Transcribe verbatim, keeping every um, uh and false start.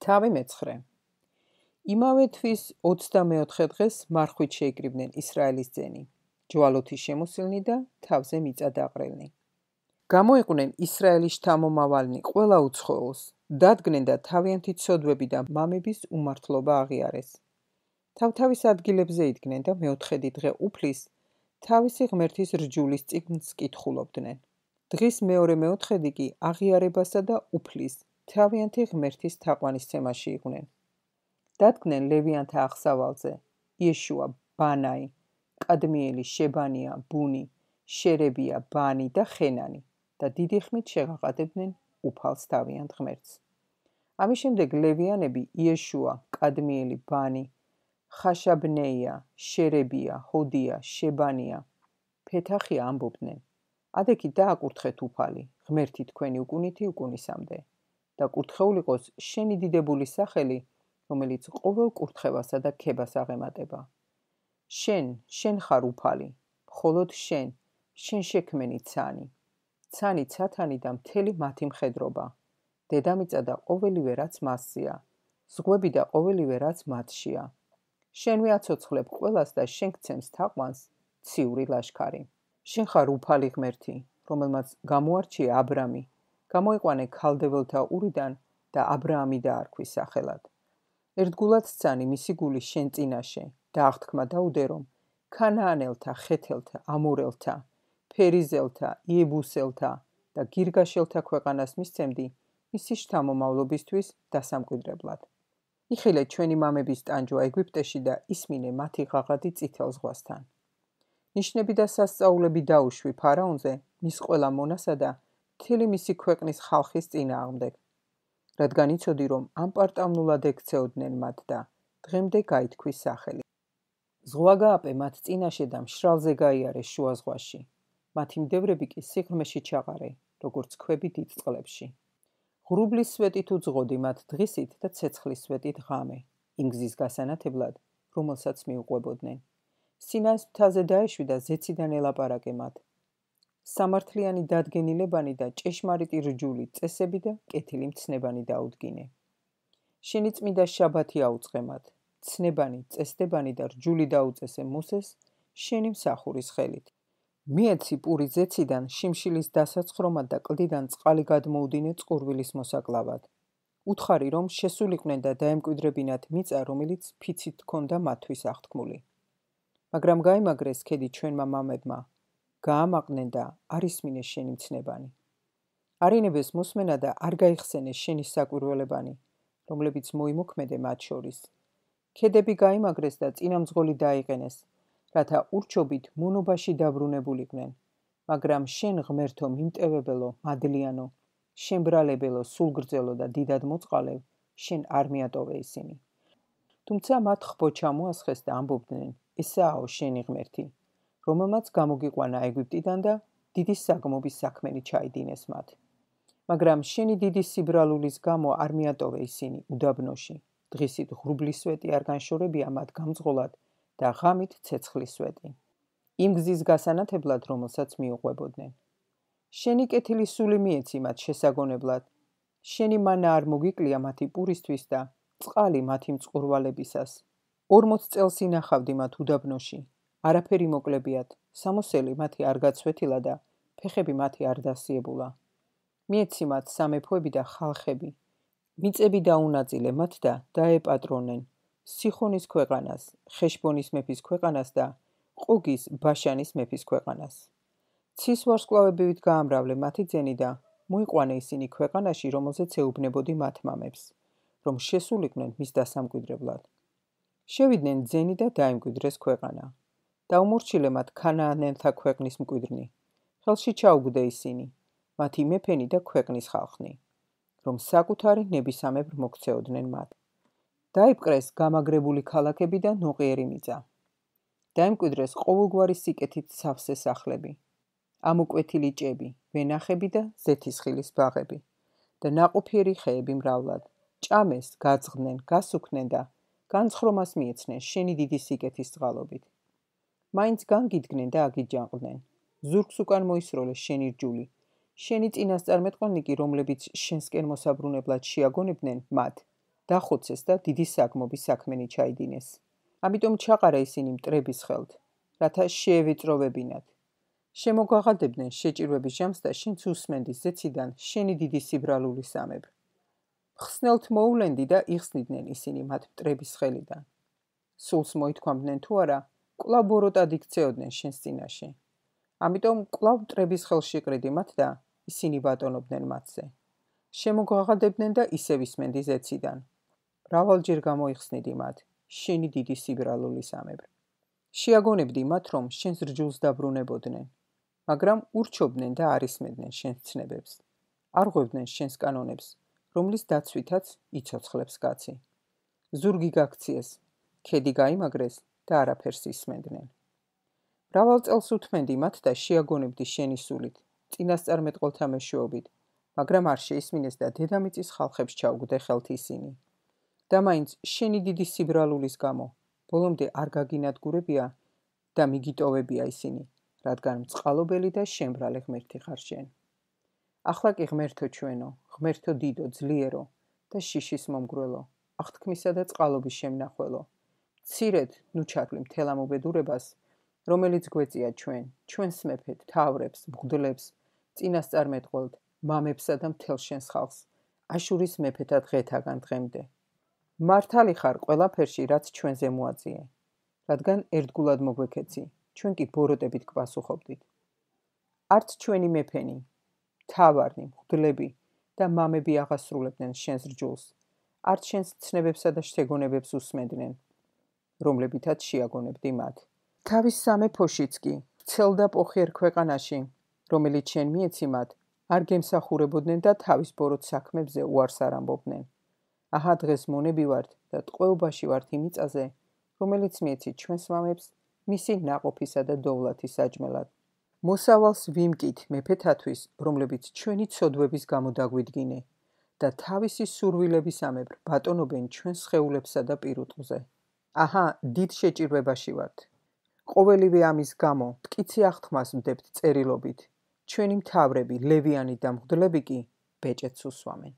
თავი მეცხრე. იმავე თვის ოცდამეოთხე დღეს მარხვით შეიკრიბნენ ისრაელის ძენი, ჯვალოთი შემოსილნი და თავზე მიწა დაყრელნი. გამოიყვნენ ისრაელის შთამომავალნი ყველა უცხოელს, დადგნენ და თავიანთი ცოდვები და მამების უმართლობა აღიარეს. თავთავის ადგილებზე იდგნენ და მეოთხედი დღე უფლის თავისი ღმერთის რჯულის წიგნს კითხულობდნენ. დღის მეორე მეოთხედი კი აღიარებასა და უფლის თავიანთი ღმერთის თაყვანისცემაში იყვნენ. დადგნენ ლევიანთა აღსავალზე იეშუა, ბანაი, კადმიელი, შებანია, ბუნი, შერებია, ბანი და ხენანი და დიდი ხმით შეღაყადებდნენ უფალს თავიანთ ღმერთს. ამის შემდეგ ლევიანები იეშუა, კადმიელი, ბანი, ხაშაბნეია, შერებია, ჰოდია, შებანია, ფეთახია ამბობდნენ: ადექით დააკურთხეთ უფალი, ღმერთი თქვენი უკუნითი უკუნისამდე და კურთხეულ იყოს შენი დიდებული სახელი, რომელიც ყოველ კურთხევასა და ქებას აღემატება. შენ, შენ ხარ უფალი, მხოლოდ შენ, შენ შექმენი ცანი, ცანი ცათანი და მთელი მათი მხედრობა, დედამიწა და ყოველივე რაც მასზეა, ზღვები და ყოველივე რაც მათშია. შენვე აცოცხლებ ყველას და შენ გცემს თაყვანს ციური ლაშქარი. შენ ხარ უფალი ღმერთი, რომელმაც გამოარჩია აბრამი, გამოიყვანე ქალდეველთა ურიდან და აბრაამი დაარქვი სახელად. ერთგულად სცანი მისი გული შენ წინაშე და აღთქმა დაუდე, რომ ქანაანელთა, ხეთელთა, ამორელთა, ფერიზელთა, იებუსელთა და გირგაშელთა ქვეყანას მისცემდი მისი შთამომავლობისთვის დასამკვიდრებლად. იხილე ჩვენი მამების ტანჯვა ეგვიპტეში და ისმინე მათი ღაღადი წითელ ზღვასთან. ნიშნები და სასწაულები დაუშვი ფარაონზე, მის ყველა მონასა და მთელი მისი ქვეყნის ხალხის წინააღმდეგ, რადგან იცოდი, რომ ამპარტავნულად ექცეოდნენ მათ და დღემდე გაითქვის სახელი. ზღვა გააპე მათ წინაშე და მშრალზე გაიარეს შუა ზღვაში. მათი მდევრები კი სიღრმეში ჩაყარე, როგორც ქვები დიდ წყლებში. ღრუბლის სვეტით უძღოდი მათ დღისით და ცეცხლის სვეტით ღამე, იმ გზის გასანათებლად, რომელსაც მიუყვებოდნენ. სინაის მთაზე დაეშვი და ზეციდან ელაპარაკე მათ. სამართლიანი დადგენილებანი და ჭეშმარიტი რჯული, წესები და კეთილი მცნებანი დაუდგინე. შენი წმიდა შაბათი აუწყე მათ, ცნებანი, წესდებანი და რჯული დაუწესე მოსეს შენი მსახურის ხელით. მიეცი პური ზეციდან შიმშილის დასაცხრომად და კლდიდან წყალი გადმოუდინე წყურვილის მოსაკლავად. უთხარი, რომ შესულიყვნენ და დაემკვიდრებინათ მიწა, რომელიც ფიცით ჰქონდა მათთვის აღთქმული. მაგრამ გაიმაგრეს ქედი ჩვენმა მამებმა, გაამაყნენ და არ ისმინეს შენი მცნებანი. არინებეს მოსმენა და არ გაიხსენეს შენი საკვირველებანი, რომლებიც მოიმოქმედე მათ შორის. ქედები გაიმაგრეს და წინამძღოლი დაიყენეს, რათა ურჩობით მონობაში დაბრუნებულიყვნენ, მაგრამ შენ ღმერთო მიმტევებელო, მადლიანო, შემბრალებელო, სულგრძელო და დიდად მოწყალევ, შენ არ მიატოვე ისინი. თუმცა მათ ხბო ჩამოასხეს და ამბობდნენ: ესაა შენი ღმერთი, რომელმაც გამოგიყვანა ეგვიპტიდან და დიდი საგმობის საქმენი ჩაიდინეს მათ. მაგრამ შენი დიდი სიბრალულის გამო არ მიატოვე ისინი უდაბნოში, დღისით ღრუბლის სვეტი არ განშორებია მათ გამძღოლად და ღამით ცეცხლის სვეტი. იმ გზის გასანათებლად, რომელსაც მიუყვებოდნენ. შენი კეთილი სული მიეცი მათ შესაგონებლად, შენი მანა არ მოგიკლია მათი პურისთვის და წყალი მათი მწყურვალებისას. ორმოც წელს ინახავდი მათ უდაბნოში, არაფერი მოკლებიათ, სამოსელი მათი არ გაცვეთილა და ფეხები მათი არ დასიებულა. მიეცი მათ სამეფოები და ხალხები, მიწები დაუნაწილე მათ და დაეპატრონენ სიხონის ქვეყანას, ხეშბონის მეფის ქვეყანას და ყუგის ბაშანის მეფის ქვეყანას. ცის ვარსკვლავებით გაამრავლე მათი ძენი და მოიყვანე ისინი ქვეყანაში, რომელზეც ეუბნებოდი მათ მამებს, რომ შესულიყვნენ მის დასამკვიდრებლად. შევიდნენ ძენი და დაიმკვიდრეს ქვეყანა. დაუმორჩილე მათ ქანაანელთა ქვეყნის მკვიდრნი. ხელში ჩაუგდე ისინი, მათი მეფენი და ქვეყნის ხალხნი, რომ საკუთარი ნებისამებრ მოქცეოდნენ მათ. დაიპყრეს გამაგრებული ქალაქები და ნოყიერი მიწა. დაიმკვიდრეს ყოველგვარი სიკეთით სავსე სახლები, ამოკვეთილი ჭები, ვენახები და ზეთისხილის ბაღები და ნაყოფიერი ხეები მრავლად. ჭამეს, გაძღდნენ, გასუქნენ და განცხრომას მიეცნენ შენი დიდი სიკეთის წყალობით. მაინც განგიდგნენ და აგიჯანყდნენ. ზურგს უკან მოისროლეს შენი რჯული. შენი წინასწარმეტყველნი კი, რომლებიც შენსკენ მოსაბრუნებლად შეაგონებდნენ მათ, დახოცეს და დიდი საგმობის საქმენი ჩაიდინეს. ამიტომ ჩაყარა ისინი მტრების ხელთ, რათა შეევეწროვებინათ. შემოგაღადებდნენ შეჭირვების ჟამს და შენც უსმენდის ზეციდან შენი დიდი სიბრალული სამებრ. ხსნელთ მოულენდი და იხსნიდნენ ისინი მათ მტრების ხელიდან. სულს მოითქვამდნენ თუ არა, კვლავ ბოროტად იქცეოდნენ შენს წინაშე. ამიტომ კვლავ მტრების ხელში ყრიდი მათ და ისინი ბატონობდნენ მათზე. შემოგაღადებდნენ და ისევ ისმენდი ზეციდან. მრავალჯერ გამოიხსნიდი მათ, შენი დიდი სიბრალული სამებრ. შეაგონებდი მათ, რომ შენს რჯულს დაბრუნებოდნენ, მაგრამ ურჩობდნენ და არ ისმენდნენ შენს ცნებებს. არ ღვევდნენ შენს კანონებს, რომლის დაცვითაც იცოცხლებს კაცი. ზურგი გაქციეს, ქედი გაიმაგრეს და არაფერს ისმენდნენ. მრავალ წელს უთმენდი მათ და შეაგონებდი შენი სულით, წინასწარმეტყველთა მეშვეობით, მაგრამ არ შეისმინეს და დედამიწის ხალხებს ჩაუგდე ხელთ ისინი. და მაინც შენი დიდი სიბრალულის გამო, ბოლომდე არ გაგინადგურებია და მიგიტოვებია ისინი, რადგან მწყალობელი და შემბრალე ღმერთი ხარ შენ. ახლა კი ღმერთო ჩვენო, ღმერთო დიდო, ძლიერო და შიშის მომგვრელო, აღთქმისა და წყალობის შემნახველო, მცირედ ნუ ჩაგვი მთელ ამ უბედურებას, რომელიც გვეწია ჩვენ, ჩვენს მეფედ, თავრებს, მღვდლებს, წინასწარმეტყველთ, მამებსა და მთელ შენს ხალხს, აშურის მეფეთა დღეთაგან დღემდე. მართალი ხარ ყველაფერში, რაც ჩვენზე მოაწიე, რადგან ერთგულად მოგვექეცი, ჩვენ კი ბოროტებით გვპასუხობდით. არც ჩვენი მეფენი, მთავარნი, მღვდლები და მამები აღასრულებდნენ შენს რჯულს, არც შენს ცნებებსა და შთეგონებებს უსმენდნენ, რომლებითაც შეაგონებდი მათ. თავის სამეფოშიც კი, ვრცელ და პოხიერ ქვეყანაში, რომელიც შენ მიეცი მათ, არ გემსახურებოდნენ და თავის ბოროტ საქმებზე უარს არ ამბობდნენ. აჰა დღეს მონები ვართ და ტყვეობაში ვართ იმ მიწაზე, რომელიც მიეცი ჩვენს მამებს მისი ნაყოფისა და დოვლათის საჭმელად. მოსავალს ვიმკით მეფეთათვის, რომლებიც ჩვენი ცოდვების გამო დაგვიდგინე და თავისი სურვილებისამებრ ბატონობენ ჩვენს სხეულებსა და პირუტყვზე. აჰა დიდ შეჭირვებაში ვართ. ყოველივე ამის გამო მტკიცე აღთქმას ვდებთ წერილობით. ჩვენი მთავრები, ლევიანი და მღვდლები კი ბეჭედს უსვამენ.